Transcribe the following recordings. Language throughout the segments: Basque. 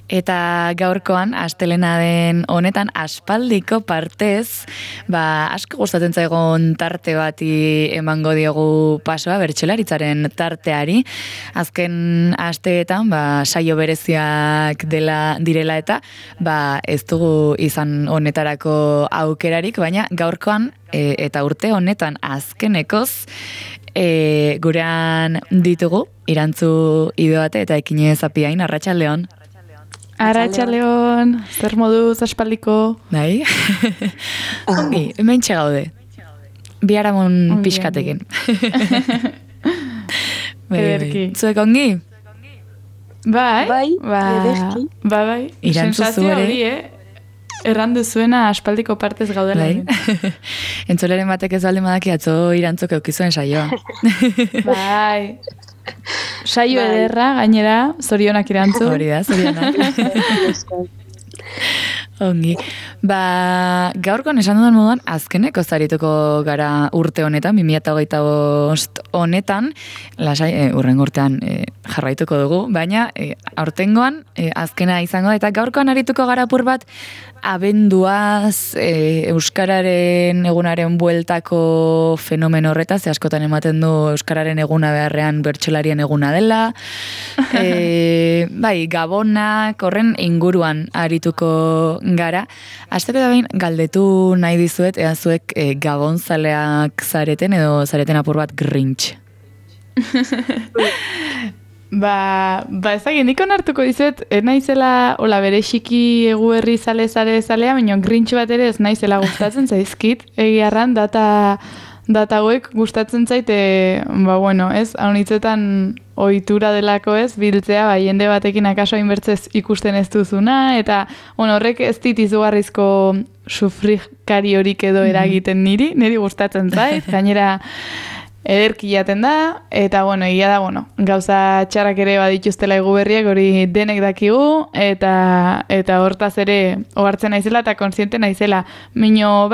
Eta gaurkoan, astelena den honetan, aspaldiko partez, asko gustatzen zaigun tarte bati emango diogu pasoa, bertsolaritzaren tarteari. Azken asteetan, saio bereziak direla eta, ez dugu izan honetarako aukerarik, baina gaurkoan, eta urte honetan azkenekoz, gurean ditugu, Irantzu Idoate eta Ekine Zapiain, arratsaldeon. Arratsaldeon, zer moduz aspaldiko? Bai? Ongi, hementxe gaude. Biharamon pixkatekin. Ederki. Zuek ongi? Bai. Irantzu zu ere? Errandu zuena aspaldiko partez gaudela. Entzoleren batek ez balde madaki atzo Irantzuk eukizuen saioa. Bai. Saio ederra, gainera, zorionak Irantzu. Hori da, zorionak. Ongi. Gaurkoan esan dudan moduan, azkeneko zarituko gara urte honetan, 2025 honetan, lasai, urrengo urtean jarraituko dugu, baina aurtengoan azkena izango da, eta gaurkoan arituko gara apur bat, abenduaz, Euskararen egunaren bueltako fenomeno horretaz, askotan ematen du Euskararen eguna beharrean bertsolarien eguna dela, gabonak, horren inguruan arituko gara. Asteko da behin galdetu nahi dizuet, ea zuek gabonzaleak zareten edo zareten apur bat Grinch. Ezagin, nik onartuko dizuet, naizela, berexiki eguberri zalea, baina Grinch bat ere ez naizela gustatzen zaizkit, egiarran data hauek gustatzen zaite, ez, haunitzetan ohitura delako ez, biltzea, jende batekin akaso hainbertzez ikusten ez duzuna, eta horrek ez dit izugarrizko sufrikari horik edo eragiten niri gustatzen zait, gainera ederki jaten da, eta egia da, gauza txarrak ere badituztela eguberriak hori denek dakigu, eta hortaz ere ohartzen naizela eta kontziente naizela. Mino,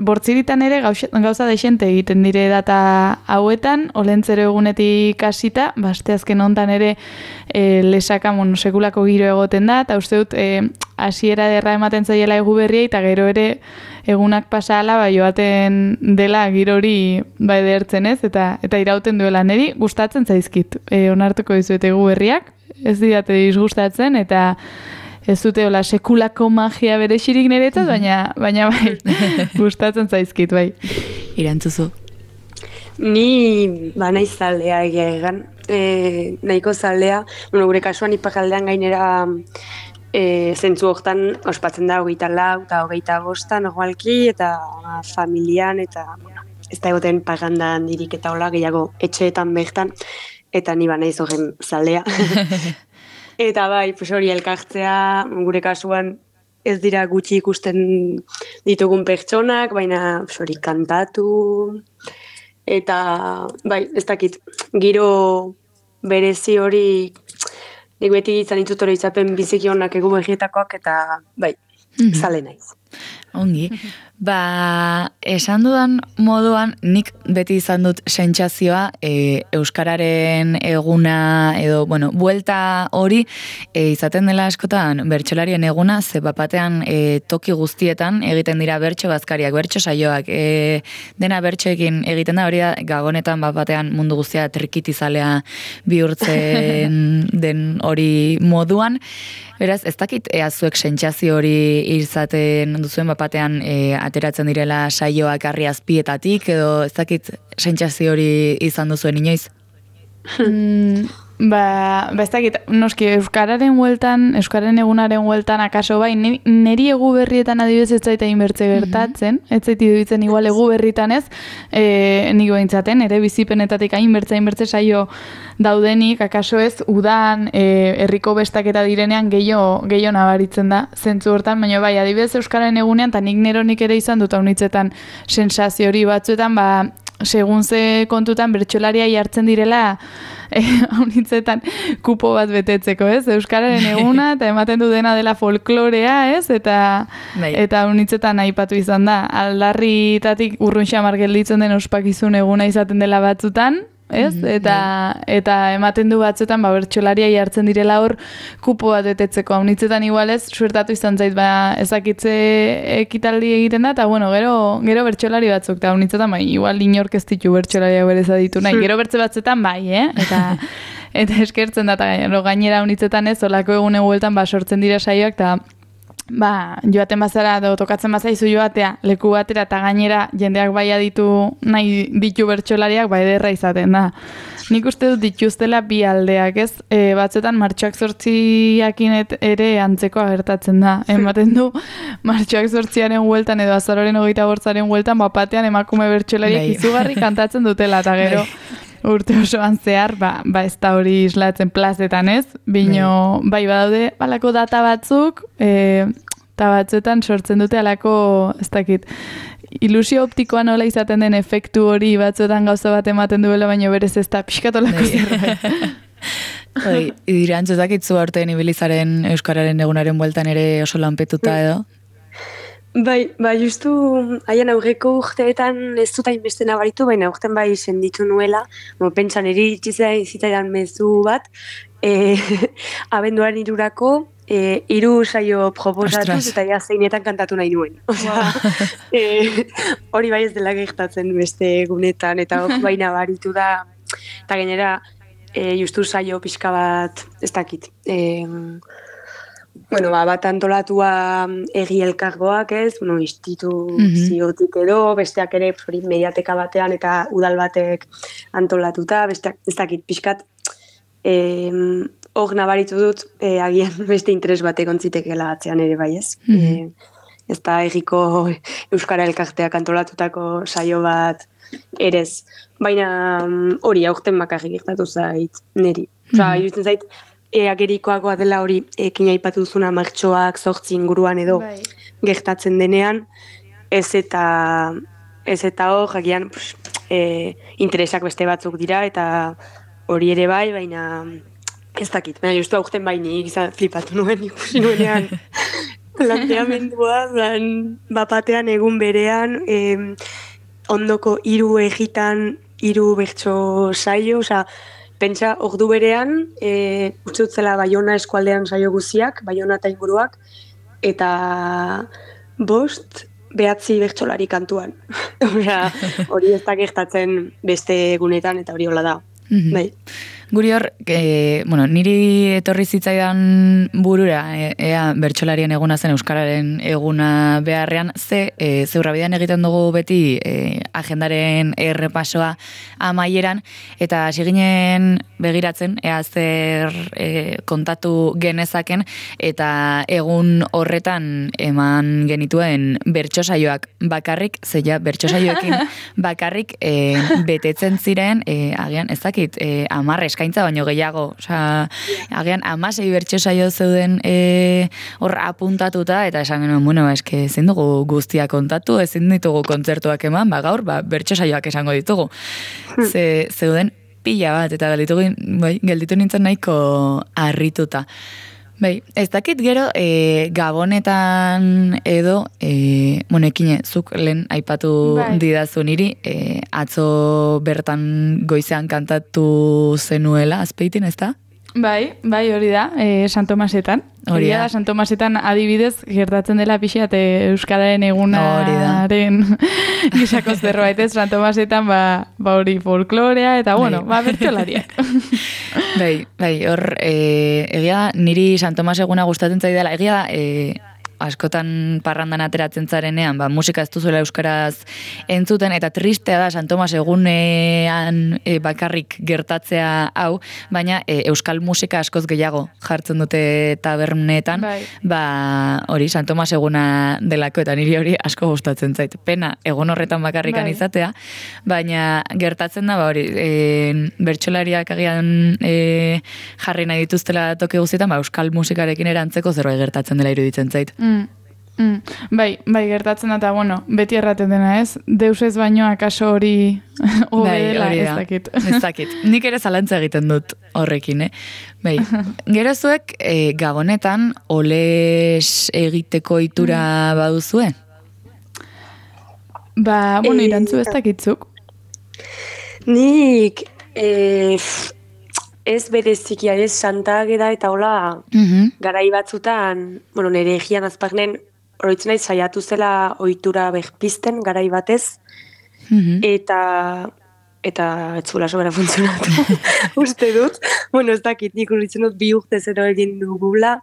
bortziritan ere gauza desente egiten dire data hauetan, olentzero egunetik hasita, asteazken hontan ere lesaka sekulako giro egoten da, eta uste dut hasiera derra ematen zaiela eguberriei, eta gero ere egunak pasala joaten dela giro hori edertzen ez, eta irauten duela niri gustatzen zaizkit. Onartuko dizuet eguberriak, ez didate disgustatzen, eta ez dute sekulako magia berexirik niretzat, baina gustatzen zaizkit, bai. Irantzuzu. Ni naiz zaldea egan, nahiko zaldea, gure kasuan ipakaldean gainera zentzu hortan ospatzen da 24 eta 25 normalki, eta familian, eta ez da egoten paganda handirik eta hola gehiago etxeetan bertan, eta ni naiz horren zaldea. Eta hori elkartzea, gure kasuan ez dira gutxi ikusten ditugun pertsonak, baina hori kantatu, eta ez dakit, giro berezi hori nik beti izan ditut hori izaten biziki honak egu begietakoak, eta zale naiz. Ongi. Esan dudan moduan, nik beti izan dut sentsazioa Euskararen eguna edo, buelta hori izaten dela askotan bertsolarien eguna, ze batean toki guztietan egiten dira bertso bazkariak, bertso saioak, dena bertsoekin egiten da, hori da, gabonetan batean mundu guztia trikitizalea bihurtzen den hori moduan. Beraz, ez dakit zuek sentsazio hori izaten duzuen batean ateratzen direla saioak harri azpietatik, edo ez dakit sentsazio hori izan duzuen inoiz? Ez dakit, noski, Euskararen egunaren hueltan akaso neri egu berrietan adibidez ez zaita inbertze gertatzen, ez zaiti duitzen igual egu berritan ez, nik behintzaten, ere bizipenetatik hainbertze saio daudenik, akaso ez, udan, herriko bestaketa direnean gehiago nabaritzen da, zentzu hortan, baina adibidez Euskararen egunean, eta nik neronik ere izan dut haunitzetan sensazio hori batzuetan, segun ze kontutan bertsolaria jartzen direla haunitzetan kupo bat betetzeko, ez? Euskararen eguna, eta ematen du dena dela folklorea, ez? Eta haunitzetan aipatu izan da. Aldarritatik urrun xamar gelditzen den ospakizun eguna izaten dela batzutan, ez? Eta ematen du batzuetan bertsolariai hartzen direla hor kupo bat betetzeko. Haunitzetan igualez, suertatu izan zait, ezakitze ekitaldi egiten da, eta gero bertsolari batzuk, eta haunitzetan igual inork ez ditu bertsolariak berez aditu nahi. Gero bertze batzuetan eta eskertzen da, eta gainera haunitzetan ez, olako egune bueltan sortzen dira saioak, eta joaten bazara, tokatzen bazaizu joatea, leku batera, eta gainera jendeak bai aditu nahi ditu bertsolariak, ederra izaten da. Nik uste dut dituztela bi aldeak, ez? Batzuetan martxoak 8 ere antzekoa gertatzen da. Ematen du, martxoak 8aren hueltan edo azaroren 28aren hueltan, bapatean emakume bertsolariak izugarri kantatzen dutela, eta gero urte osoan zehar, ez da hori islatzen plazetan, ez? Bino, badaude, balako data batzuk, eta batzuetan sortzen dute alako, ez dakit, ilusio optikoa nola izaten den efektu hori batzuetan gauza bat ematen duela, baina berez ez da pixkatolako zerbait. Irantzutakitzu aurten ibilizaren Euskararen egunaren bueltan ere oso lanpetuta edo? Justu haien aurreko urteetan ez dut hainbeste nabaritu, baina urten senditu nuela, pentsan zitaidan mezu bat, abenduaren 3 3 saio proposatuz eta zeinetan kantatu nahi nuen. Hori bai ez dela gertatzen beste egunetan, eta hori bai nabaritu da, eta gainera justu saio pixka bat ez dakit. Bat antolatua egi elkargoak ez, instituziotik edo, besteak ere mediateka batean eta udal batek antolatuta, besteak ez dakit pixkat, hor nabaritu dut, agian beste interes batek ontzitekela atzean ere bai ez. Ez da egiko Euskara Elkarteak antolatutako saio bat erez. Baina hori aurten bakarrik gertatu zait niri. Iruditzen zait, agerikoagoa dela hori ekin aipatu duzuna martxoak 8 inguruan edo gertatzen denean, ez eta hor, jakian interesak beste batzuk dira, eta hori ere bai, baina ez dakit. Baina justu aurten nik flipatu nuen ikusi nuenean planteamendua, bapatean egun berean, ondoko 3 egitan 3 bertso saio, pentsa, ordu berean, utzutzela Baiona eskualdean saio guziak, Baiona eta inguruak, eta 5 9 bertsolari kantuan. Hori ez da gertatzen beste egunetan, eta hori hola da. Guri hor, niri etorri zitzaidan burura, ea bertsolarien eguna zen Euskararen eguna beharrean, zeurrabidean egiten dugu beti agendaren errepasoa amaieran, eta hasi ginen begiratzen, ea zer kontatu genezaken, eta egun horretan eman genituen bertsosaioak bakarrik, zeia bertsosaioekin bakarrik betetzen ziren, agian ez dakit, 10 eskaintza baino gehiago, agian 16 bertsosaio zeuden hor apuntatuta, eta esan genuen, eske ezin dugu guztia kontatu, ezin ditugu kontzertuak eman, gaur bertsosaioak esango ditugu. Zeuden pila bat, eta gelditu nintzen nahiko harrituta. Ez dakit gero, Gabonetan edo, ekine, zuk lehen aipatu didazu niri, atzo bertan goizean kantatu zenuela, Azpeitin, ez da? Bai, hori da, San Tomasetan. Hori da, San Tomasetan adibidez gertatzen dela pixat Euskararen egunaren gisako zerbait, ez? San Tomasetan hori folklorea eta, bertsolariak. Hor, egia niri San Tomas eguna gustatzen zaidala, egia askotan parrandan ateratzen zarenean, musika ez duzuela euskaraz entzuten, eta tristea da San Tomas egunean bakarrik gertatzea hau, baina euskal musika askoz gehiago jartzen dute tabernetan, hori San Tomas eguna delako, eta niri hori asko gustatzen zait. Pena, egun horretan bakarrikan izatea, baina gertatzen da, hori, bertsolariak agian jarri nahi dituztela toki guztietan, euskal musikarekin erantzeko zerbait gertatzen dela iruditzen zait. Bai, gertatzen da, eta, beti erraten dena, ez? Deus ez baino akaso hori obedela, ez dakit. Ez dakit. Nik ere zalantza egiten dut horrekin, Gero zuek, Gabonetan, oles egiteko itura baduzue? Irantzu ez dakitzuk. Nik Ez berezikia, ez Santa Ageda eta hola garai batzutan, nire egian azpagnen oroitzen naiz saiatu zela ohitura berpizten garai batez, eta ez zuela sobera funtzionatu, uste dut. Ez dakit, nik uritzen dut 2 urte zero egin dugula,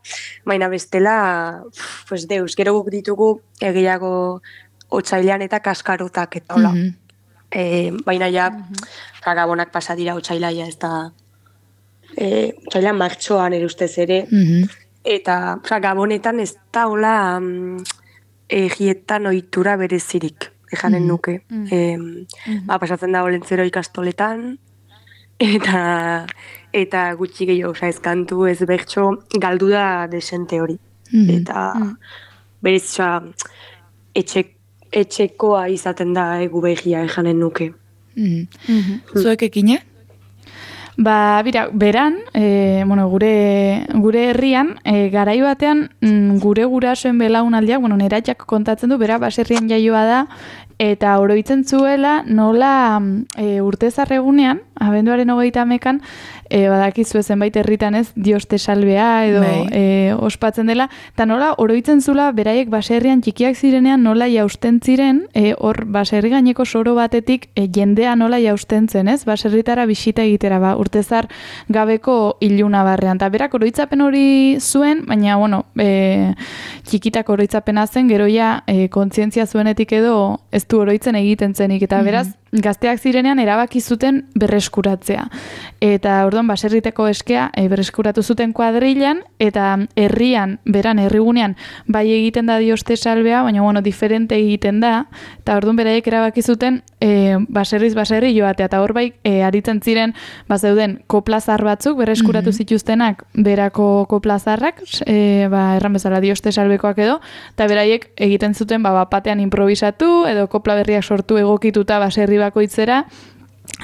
baina bestela, pues deus, gero guk ditugu gehiago otsailean eta kaskarotak eta hola. Baina ja, gabonak pasa dira otsailaia ez da, otsailean martxoan ere ustez ere, eta gabonetan ez da hola egietan ohitura berezirik. Ejanen nuke. Pasatzen da Olentzero ikastoletan, eta gutxi gehiago, ez kantu, ez bertso, galdu da desente hori. Eta berez, etxekoa izaten da egu begia ejanen nuke. Zuek ekine? Beran, gure herrian, garai batean gure gurasoen belaunaldiak, neratxak kontatzen du, bera baserrian jaioa da, eta oroitzen zuela nola urtezarregunean, abenduaren 30ean, badakizu zenbait herritan ez, Dios te salvea edo ospatzen dela, eta nola oroitzen zula beraiek baserrian txikiak zirenean nola jausten ziren, hor baserri gaineko soro batetik jendea nola jausten zen, ez? Baserritara bisita egitera, urtezar gabeko iluna barrean. Ta berak oroitzapen hori zuen, baina txikitak oroitzapena zen, gero ja kontzientzia zuenetik edo ez du oroitzen egiten zenik, eta beraz gazteak zirenean erabaki zuten berreskuratzea. Eta orduan baserriteko eskea berreskuratu zuten kuadrilan, eta herrian, herrigunean, bai egiten da Dios te salvea, baina diferente egiten da, eta orduan beraiek erabaki zuten baserriz baserri joatea, eta hor bai aritzen ziren bazeuden koplazar batzuk berreskuratu zituztenak berako koplazarrak, erran bezala Dios te salvekoak edo, eta beraiek egiten zuten batean improvisatu, edo kopla berriak sortu egokituta baserri bakoitzera,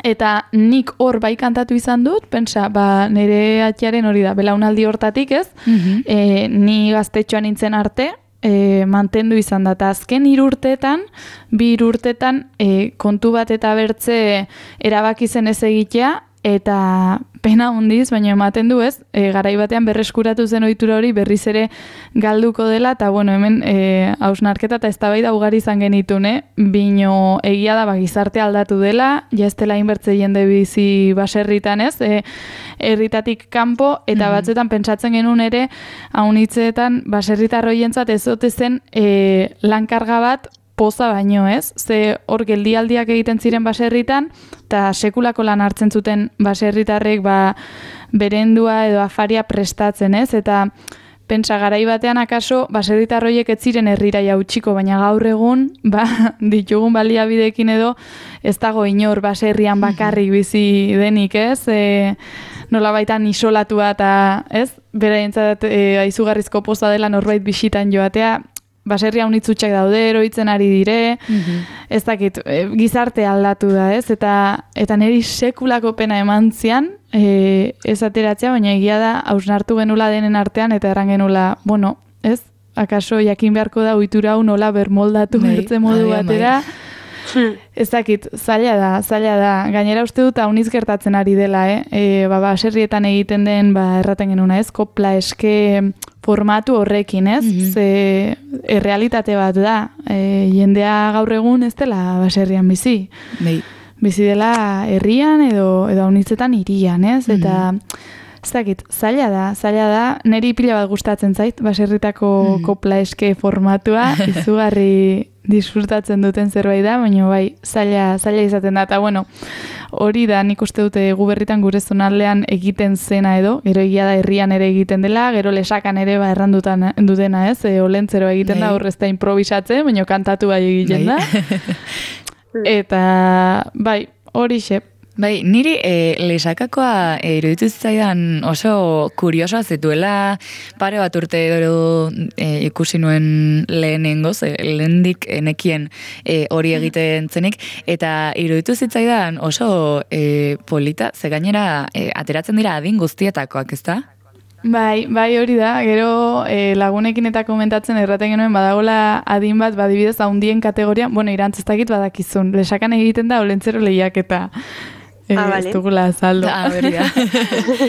eta nik hor bai kantatu izan dut, pentsa, nire atxaren hori da, belaunaldi hortatik ez, ni gaztetxoan nintzen arte, mantendu izan da, eta azken 3 urteetan, 2 urteetan kontu bat eta bertze erabaki zen ez egitea, eta pena hundiz, baina ematen du ez, garai batean berreskuratu zen ohitura hori berriz ere galduko dela, eta hemen hausnarketa eta eztabaida ugari izan genitun, bino egia da gizarte aldatu dela, ja ez dela inbertze jende bizi baserritan ez, herritatik kanpo, eta batzuetan pentsatzen genuen ere, haunitzeetan baserritar hoientzat ez ote zen lankarga bat poza baino ez, ze hor geldialdiak egiten ziren baserritan, eta sekulako lan hartzen zuten baserritarrek berendua edo afaria prestatzen ez, eta pentsa garai batean akaso baserritarroiek ez ziren herrira jautsiko, baina gaur egun ditugun baliabideekin edo ez dago inor baserrian bakarrik bizi denik ez, nola baitan isolatua eta ez, beraientzat aizugarrizko poza dela norbait bisitan joatea, baserria unitzutxak daude, eroitzen ari dire, ez dakit, gizarte aldatu da, ez? Eta niri sekulako pena eman zian, ez ateratzea, baina egia da, hausnartu genula denen artean, eta erran genula, ez? Akaso jakin beharko da, ohitura hau nola bermoldatu bertze modu batera, ez dakit, zaila da. Gainera uste dut hauniz gertatzen ari dela, baserrietan egiten den, erraten genuna, ez? Kopla eske formatu horrekin, ez? Ze errealitate bat da. Jendea gaur egun ez dela baserrian bizi. Bizi dela herrian edo haunitzetan hirian, ez? Eta ez dakit, zaila da, niri pila bat gustatzen zait, baserritako kopla eske formatua, izugarri disfrutatzen duten zerbait da, baina zaila izaten da, eta hori da, nik uste dute guberritan gure zonaldean egiten zena edo, gero egia da herrian ere egiten dela, gero lesakan ere errandutan dutena ez, Olentzero egiten da, horrez da improvisatzen, baina kantatu egiten da, eta hori xe. Niri lesakakoa iruditu zitzaidan oso kuriosoa zituela pare bat urte edo ikusi nuen lehenengoz, lehendik enekien hori egiten zenik, eta iruditu zitzaidan oso polita, ze gainera ateratzen dira adin guztietakoak, ezta? Bai, hori da, gero lagunekin eta komentatzen erraten genuen badagola adin bat, badibidez haundien kategorian, irantz ez dakit badakizun, lesakan egiten da Olentzero lehiaketa. Vale. Ez dugula azaldu. Berria.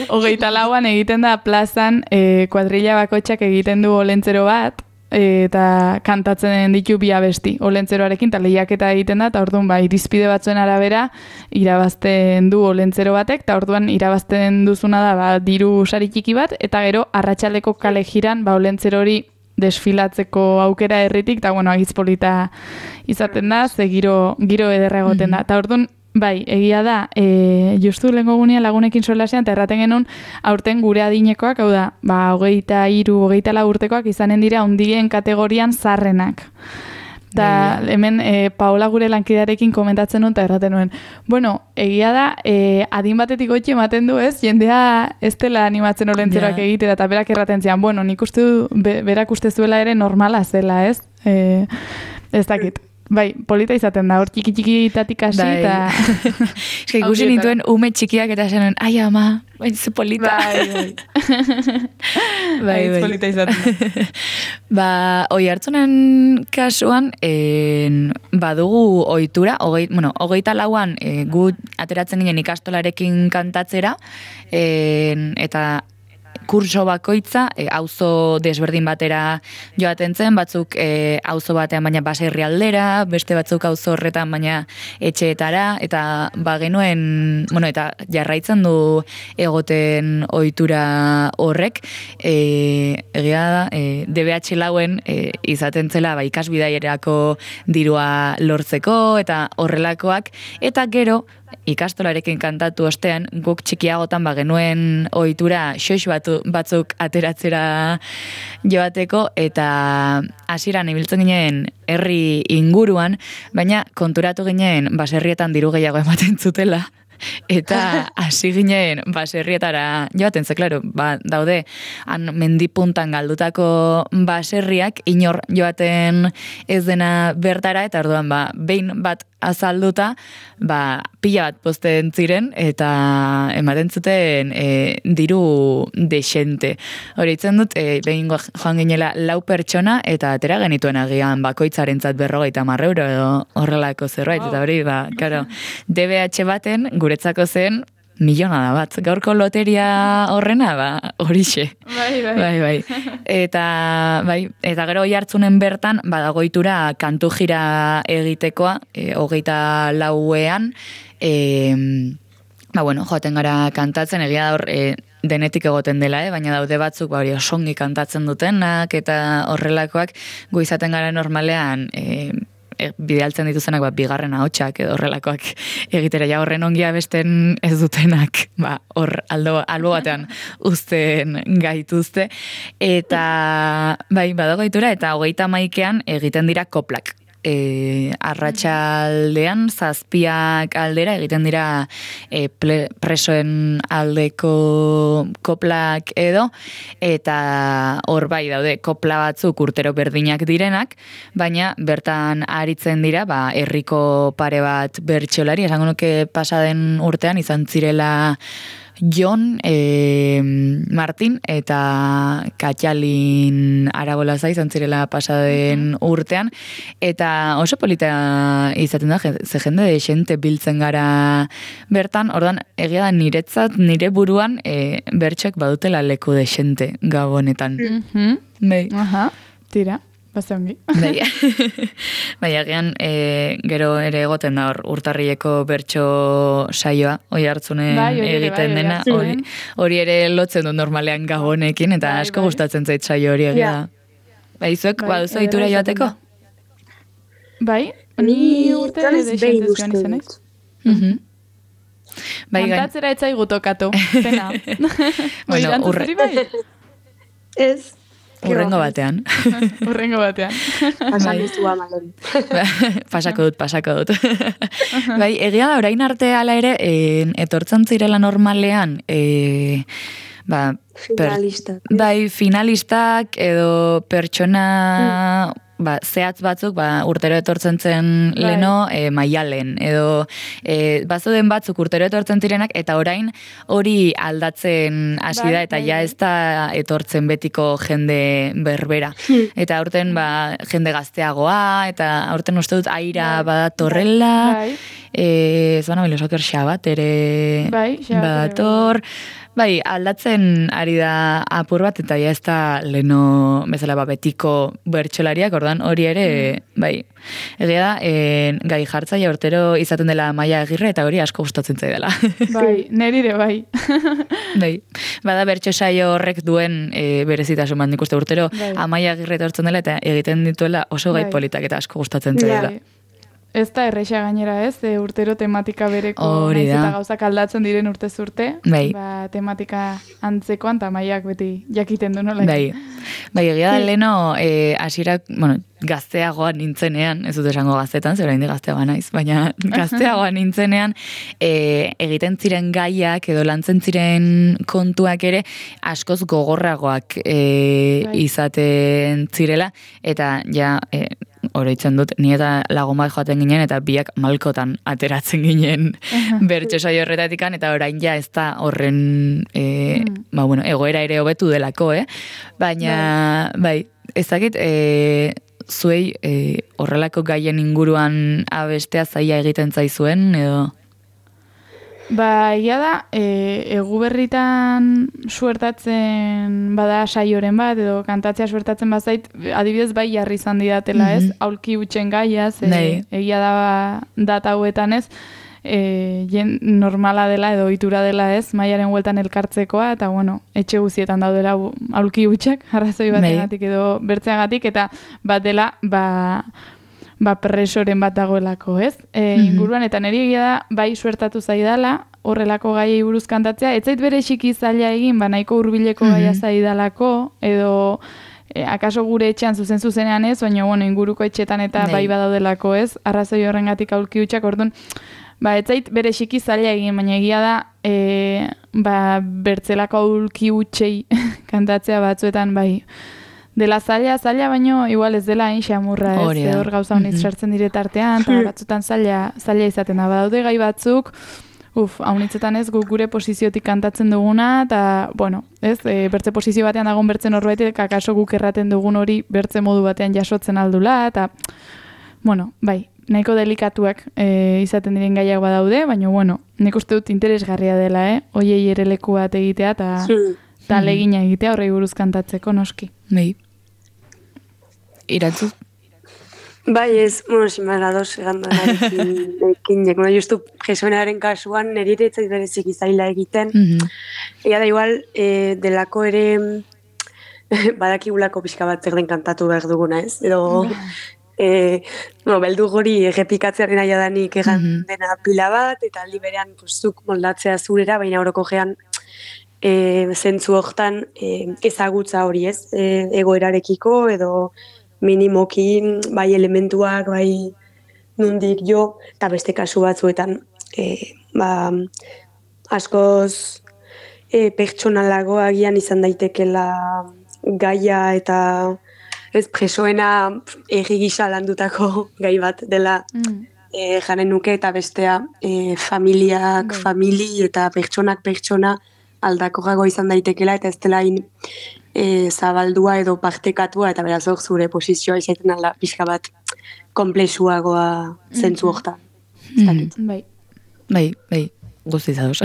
24an egiten da plazan kuadrilla bakoitzak egiten du olentzero bat, eta kantatzen ditu bi abesti olentzeroarekin, eta lehiaketa egiten da, eta orduan irizpide batzuen arabera irabazten du olentzero batek, eta orduan irabazten duzuna da diru sari txiki bat, eta gero arratsaldeko kale jiran olentzero hori desfilatzeko aukera herritik, eta agiz polita izaten da, ze giro ederra egoten da. Eta orduan, egia da, justu lehenko gunean lagunekin solasean, eta erraten genuen aurten gure adinekoak, hau da, 23, 24 urtekoak izanen dira ondien kategorian zarrenak. Eta hemen Paola gure lankidarekin komentatzen nuen, eta erraten nuen. Bueno, egia da, adin batetik goitxe ematen du ez, jendea ez dela animatzen olentzeroak egitera, eta berak erraten zian, bueno, nik uste du, berak uste zuela ere normala zela ez, ez dakit. Polita izaten da, hor txiki-txikitatik hasi, eta... Eska ikusi nituen ume txikiak eta zenuen, ai ama, zu polita. Bai, polita izaten da. Oi hartzunen kasuan, badugu ohitura, 24an gu ateratzen ginen ikastolarekin kantatzera, eta kurso bakoitza, auzo desberdin batera joaten zen, batzuk auzo batean baina baserri aldera, beste batzuk auzo horretan baina etxeetara, eta genuen, eta jarraitzen du egoten ohitura horrek, egia da, DBH lauen izaten zela ikasbidaierako dirua lortzeko, eta horrelakoak, eta gero, ikastolarekin kantatu ostean, guk txikiagotan genuen ohitura xox batzuk ateratzera joateko, eta hasieran ibiltzen ginen herri inguruan, baina konturatu ginen baserrietan diru gehiago ematen zutela, eta hasi ginen baserrietara joaten, ze klaro, daude han mendipuntan galdutako baserriak inor joaten ez dena bertara, eta orduan behin bat azalduta, pila bat posten ziren, eta ematen zuten diru desente. Hori itzen dut, behin joan ginela 4 pertsona, eta atera genituen agian bakoitzarentzat 50 euro edo horrelako zerbait, eta hori, karo, DBH baten guretzako zen milionada bat. Gaurko loteria horrena, horixe. Bai. Eta gero oi hartzunen bertan, badagoitura kantu jira egitekoa, 24ean, joaten gara kantatzen, egia da hor, denetik egoten dela, baina daude batzuk hori osongi kantatzen dutenak, eta horrelakoak gu izaten gara normalean, bidaltzen dituzenak bigarren ahotsak edo horrelakoak egitera, horren ongia besten ez dutenak, hor albo batean uzten gaituzte, eta badagoitura, eta 31ean egiten dira koplak. Arratsaldean 7 aldera egiten dira presoen aldeko koplak edo, eta hor daude kopla batzuk urtero berdinak direnak, baina bertan aritzen dira herriko pare bat bertsolari, esango nuke pasaden urtean izan zirela Jon, Martin eta Katxalin Arabolaza izan zirela pasaden urtean, eta oso polita izaten da, ze jende de xente biltzen gara bertan, ordan egia da niretzat, nire buruan bertxoek badutela leku de xente gabonetan. Tira. Bazongi. Agian gero ere egoten da urtarrileko bertso saioa, oi hartzunen egiten dena, hori ere lotzen du normalean gabonekin, eta asko gustatzen zait saio hori egia da. Izuek baduzu ditura joateko? Ni urte ere xentez joan izan ez? Kantatzera etzai gutokatu, pena. Ez. Urrengo batean. Pasakizua malori. Pasako dut. Egia da, orain arte ala ere, etortzen zirela normalean, finalistak edo pertsona zehatz batzuk urtero etortzen zen leno Maialen, edo bazuden batzuk urtero etortzen zirenak, eta orain hori aldatzen hasi da, eta ja ez da etortzen betiko jende berbera. Eta aurten jende gazteagoa, eta aurten uste dut aira badatorrela, zona belosoker xabat ere bator. Bai, aldatzen ari da apur bat, eta ja ez da leno bezala betiko bertsolariak, ordan hori ere, bai, egia da, gai jartzaia urtero izaten dela Amaia Agirre, eta hori asko gustatzen zaidala. Bai, nerire bai. Bai, bada bertso saio horrek duen berezitasun bat, nik uste urtero Amaia Agirre etortzen dela, eta egiten dituela oso gai politak, eta asko gustatzen zaidala. Ez da erresa gainera ez, urtero tematika bereko, naiz eta gauzak aldatzen diren urtez urte, tematika antzekoan, eta Amaiak beti jakiten du nola. Bai, egia da leno, hasiera, gazteagoan nintzenean, ez dut esango gaztetan, zer oraindik gazteagoa naiz, baina gazteagoan nintzenean, egiten ziren gaiak edo lantzen ziren kontuak ere askoz gogorragoak izaten zirela, eta ja, oroitzen dut, ni eta lagun bat joaten ginen, eta biak malkotan ateratzen ginen bertso saio horretatikan, eta orain ja ez da horren egoera ere hobetu delako, baina, bai, ez dakit, zuei horrelako gaien inguruan abestea zaila egiten zaizuen, edo? Ba, ia da, Eguberritan suertatzen bada saioren bat, edo kantatzea suertatzen bazait, adibidez bai jarri izan didatela, ez? Aulki utxen gaia, egia da data hauetan, ez? Normala dela edo ohitura dela, ez? Maiaren hueltan elkartzekoa, eta bueno, etxe guzietan daudela aulki utxak, arrazoi bategatik edo bertzeagatik, eta bat dela, presoren bat dagoelako, ez? Inguruan, eta niri egia da, bai suertatu zaidala, horrelako gaiei buruz kantatzea, ez zait bere txiki zaila egin, nahiko hurbileko gaia zaidalako, edo akaso gure etxean zuzenean ez, baina inguruko etxetan eta bai badaudelako, ez? Arrazoi horrengatik aulki hutsak, orduan, ez zait bere txiki zaila egin, baina egia da, bertzelako aulki hutsei kantatzea batzuetan, bai, dela zaila, baino igual ez dela xamurra, ez, hor gauza honiz sartzen dire tartean, eta batzutan zaila izaten da. Badaude gai batzuk, haunitzetan ez, gure posiziotik kantatzen duguna, eta, bueno, ez, bertze posizio batean dagoen bertzen horbaitek, akaso guk erraten dugun hori bertze modu batean jasotzen aldula, eta, bueno, bai, nahiko delikatuak izaten diren gaiak badaude, baina, bueno, nik uste dut interesgarria dela, hoiei ere leku bat egitea, eta legina egitea horrei buruz kantatzeko, noski. Bai. Iratzu? Bai, ez, simarados egando narekin, justu Jesuenaren kasuan nerire etzait berezik izaila egiten. Ega da igual, delako ere badakigulako pixka bat zer den kantatu behar duguna, ez? Edo, beldu gori errepikatzearen aia danik egan dena pila bat, eta aldi berean zuk moldatzea zurera, baina horoko gean zentzu hortan ezagutza hori, ez? Egoerarekiko edo minimokin, bai elementuak, bai nundik jo, eta beste kasu batzuetan askoz pertsonalago agian izan daitekela gaia eta ez presoena erri gisa landutako gai bat dela jaren nuke, eta bestea familiak famili eta pertsonak pertsona aldakoago izan daitekela, eta ez dela zabaldua edo partekatua, eta beraz hor zure posizioa izaiten alda pixka bat komplexuagoa zentzu hortan. Bai, guzti zauz.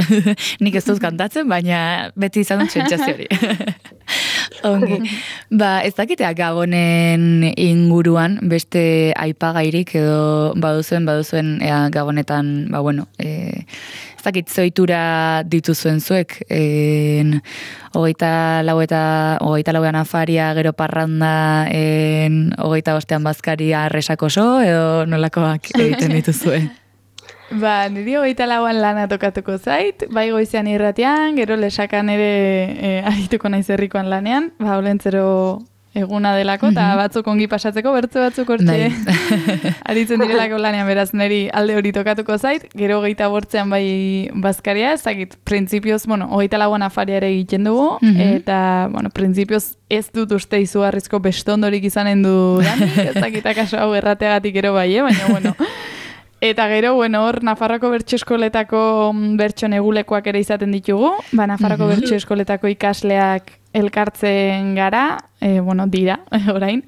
Nik ez dut kantatzen, baina beti izan dut sentsazio hori. Ongi. Ez dakitea Gabonen inguruan beste aipagairik edo baduzuen Gabonetan, ez dakit zoitura dituzuen zuek, 24an afaria, gero parranda, 25an bazkaria resakoso, edo nolakoak egiten dituzue? Niri 24an lana tokatuko zait, bai goizean irratian, gero lesakan ere arituko naiz herrikoan lanean, olentzero eguna delako, eta batzuk ongi pasatzeko, bertze batzuk hortxe aritzen direlako lanean, beraz niri alde hori tokatuko zait, gero 25an bai bazkaria, ez dakit, printzipioz, 24an afaria ere egiten dugu, eta, printzipioz ez dut uste izugarrizko bestondorik izanen du danik, ez dakit akaso hau errateagatik gero bai, baina, Eta gero, hor, Nafarroko bertso eskoletako bertso negulekoak ere izaten ditugu. Nafarroko bertso eskoletako ikasleak elkartzen gara, dira, orain.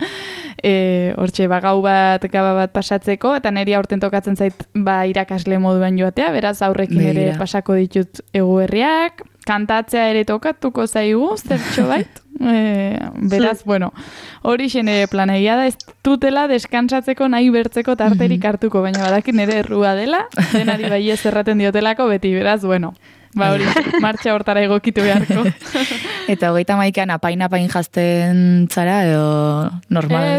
hortxe gau bat, gaba bat pasatzeko, eta niri aurten tokatzen zait irakasle moduan joatea, beraz aurrekin ere pasako ditut eguberriak, kantatzea ere tokatuko zaigu, zertxo bait. Beraz, bueno, hori ere planegia da, ez dutela deskansatzeko nahi bertzeko tarterik hartuko, baina badakit nire errua dela, denari bai ez erraten diotelako beti, beraz, bueno. Hori, martxa hortara egokitu beharko. Eta 31an apain jazten zara, edo normal?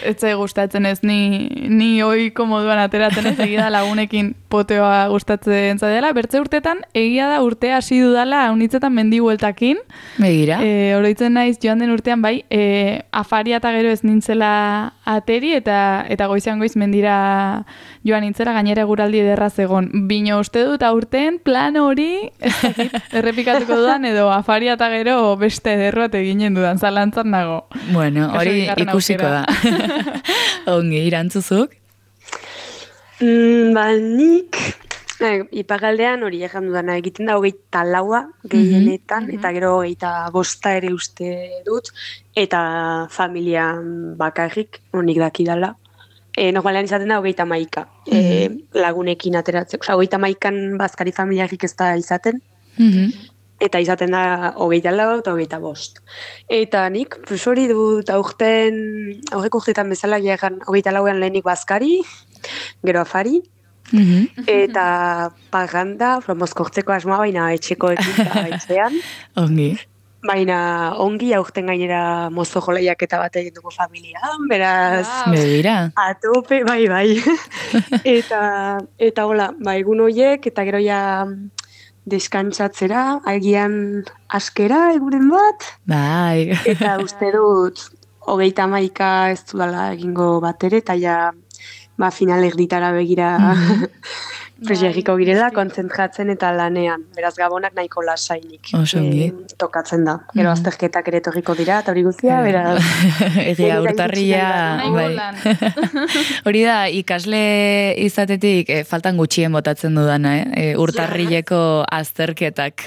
Ez zai gustatzen ez, ni oiko moduan ateratzen ez, egia da lagunekin poteoa gustatzen zadela. Bertze urtetan, egia da urtea hasi dudala, unitzetan mendi bueltakin. Begira. Oroitzen naiz joan den urtean bai, afaria eta gero ez nintzela ateri, eta goizean goiz mendira joan nintzela, gainera eguraldi ederra zegon. Bino uste dut aurten, plan hori, errepikatuko dudan, edo afaria eta gero beste ederroat eginen dudan, zalantzan nago. Bueno, hori ikusiko da. Ongi, Irantzuzuk? Nik, ipagaldean hori egan dudana egiten da 24 gehienetan, eta gero 25 ere uste dut, eta familian bakarrik, honik dakidala. Normalean izaten da 31 lagunekin ateratzeko. 31an bazkari familiarik ez da izaten, eta izaten da 24 eta 25. Eta nik, hori dut aurreko urteetan bezala gehan 24an lehenik bazkari, gero afari, eta paganda, mozkortzeko asmoa, baina etxekoekin da etxean. Ongi. Baina ongi aurten gainera mozo joleiak eta bat egin dugu familian, beraz... Begira. Atope, bai. Eta hola, egun horiek, eta gero ja deskantzatzera, agian askera eguren bat. Bai. Eta uste dut, 31 ez dudala egingo bat ere, eta ja final erditara begira... Presiagiko girela, kontzentratzen eta lanean. Beraz, gabonak nahiko lasainik tokatzen da. Gero azterketak ere torriko dira, eta hori guztia, beraz... Egia, urtarria... Hori da, ikasle izatetik faltan gutxien botatzen dudana, urtarrileko azterketak.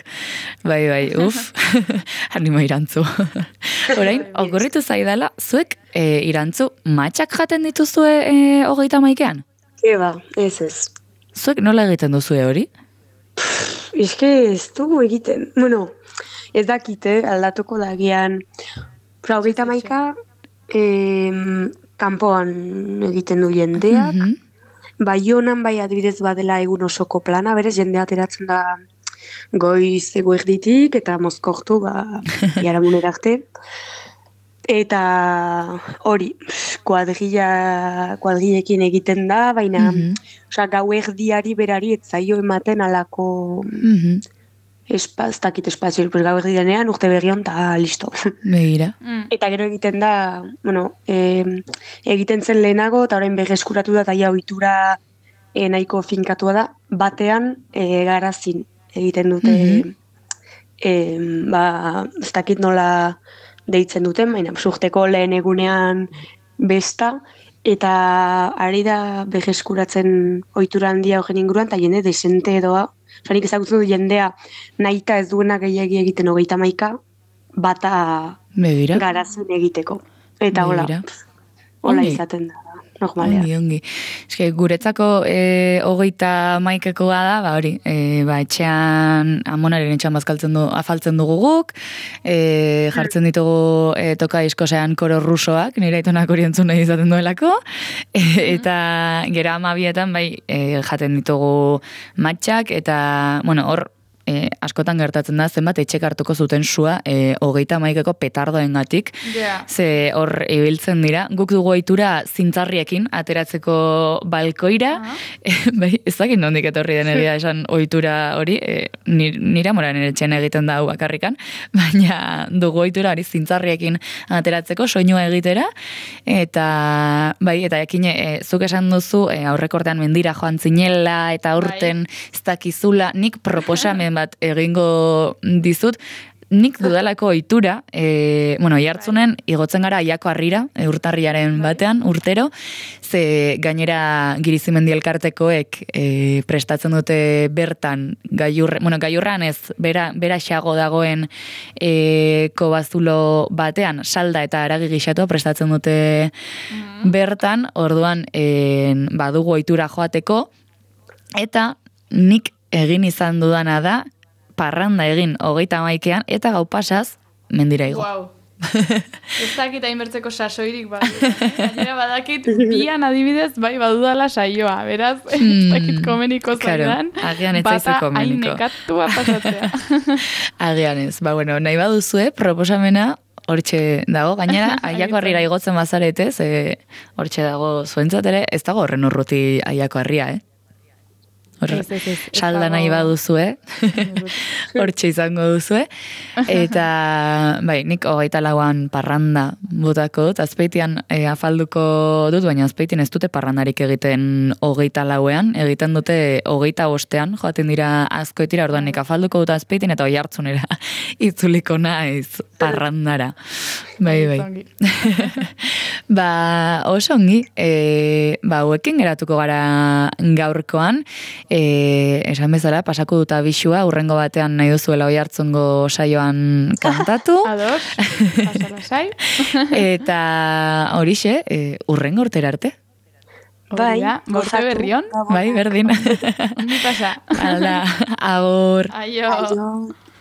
Bai, animo Irantzu. Orain, okurritu zaidala, zuek Irantzu, matxak jaten dituzue 31an? Eba, ez. Zuek nola egiten duzue hori? Eske ez dugu egiten. Bueno, ez dakite, aldatuko dagian. 31 kanpoan egiten du jendeak. Baionan bai adibidez badela egun osoko plana, berez jendea ateratzen da goiz eguerditik eta mozkortu biharamunera arte. Eta hori, kuadrillekin egiten da, baina gau erdiari berari ez zaio ematen alako espaztakit espazio, gau erdianean urte berrion eta listo. Begira. Eta gero egiten da, egiten zen lehenago, eta orain berreskuratu da, eta ohitura nahiko finkatua da, batean garazin egiten dute, ez dakit nola deitzen duten, baina urteko lehen egunean besta, eta ari da berreskuratzen ohitura handia horren inguruan, eta jende desente edoa, nik ezagutzen du jendea nahita ez duena gehiagi egiten 31 bata garazin egiteko. Eta hola izaten da. Ongi. Eske, guretzako 31ekoa da, hori, etxean, amonaren etxean afaltzen dugu guk, jartzen ditugu toka diskosean koro rusoak, nire aitonak hori entzun nahi izaten duelako, eta gero 12etan, jaten ditugu matxak, eta, hor, askotan gertatzen da, zenbat etxek hartuko zuten sua 31eko petardoengatik, ze hor ibiltzen dira. Guk dugu ohitura zintzarriekin ateratzeko balkoira, ez dakit nondik etorri den egia esan ohitura hori, nire amoran etxean egiten da hau bakarrikan, baina dugu ohitura hori zintzarriekin ateratzeko soinua egitera, eta ekin zuk esan duzu aurrekortean mendira joan zinela, eta aurten ez dakizula, nik proposamen bat egingo dizut, nik dudalako ohitura, jartzunen igotzen gara Aiako Harrira, urtarriaren batean, urtero, ze gainera Girizimendi elkartekoek prestatzen dute bertan gailurran ez, bera xago dagoen kobazulo batean, salda eta haragi gixatu prestatzen dute bertan, orduan badugu ohitura joateko, eta nik egin izan dudana da, parranda egin 31ean eta gau pasaz mendira igo. Wow. Ez dakit hainbertzeko sasoirik gainera badakit bian adibidez bai badudala saioa, beraz ez dakit komeniko zaidan, agian ez zaizu komeniko. Hain nekatua pasatzea. Agian ez, nahi baduzue, proposamena hortxe dago, gainera Aiako Harrira igotzen bazarete, hortxe dago zuentzat ere, ez dago horren urruti Aiako Harria, salda nahi baduzue, hortxe izango duzue, eta nik 24an parranda botako dut, Azpeitian afalduko dut, baina Azpeitin ez dute parrandarik egiten 24ean, egiten dute 25ean, joaten dira Azkoitira, orduan nik afalduko dut Azpeitin, eta Oiartzunera itzuliko naiz parrandara. Bai. Oso ongi, hauekin geratuko gara gaurkoan, esan bezala, pasako dut abisua, urrengo batean nahi duzuela Oiartzungo saioan kantatu. Ados, pasala sai. Eta horixe, urrengo urtera arte. Bai, borte berrion. Bai, berdin. Ondi pasa. Hala, agur. Aio.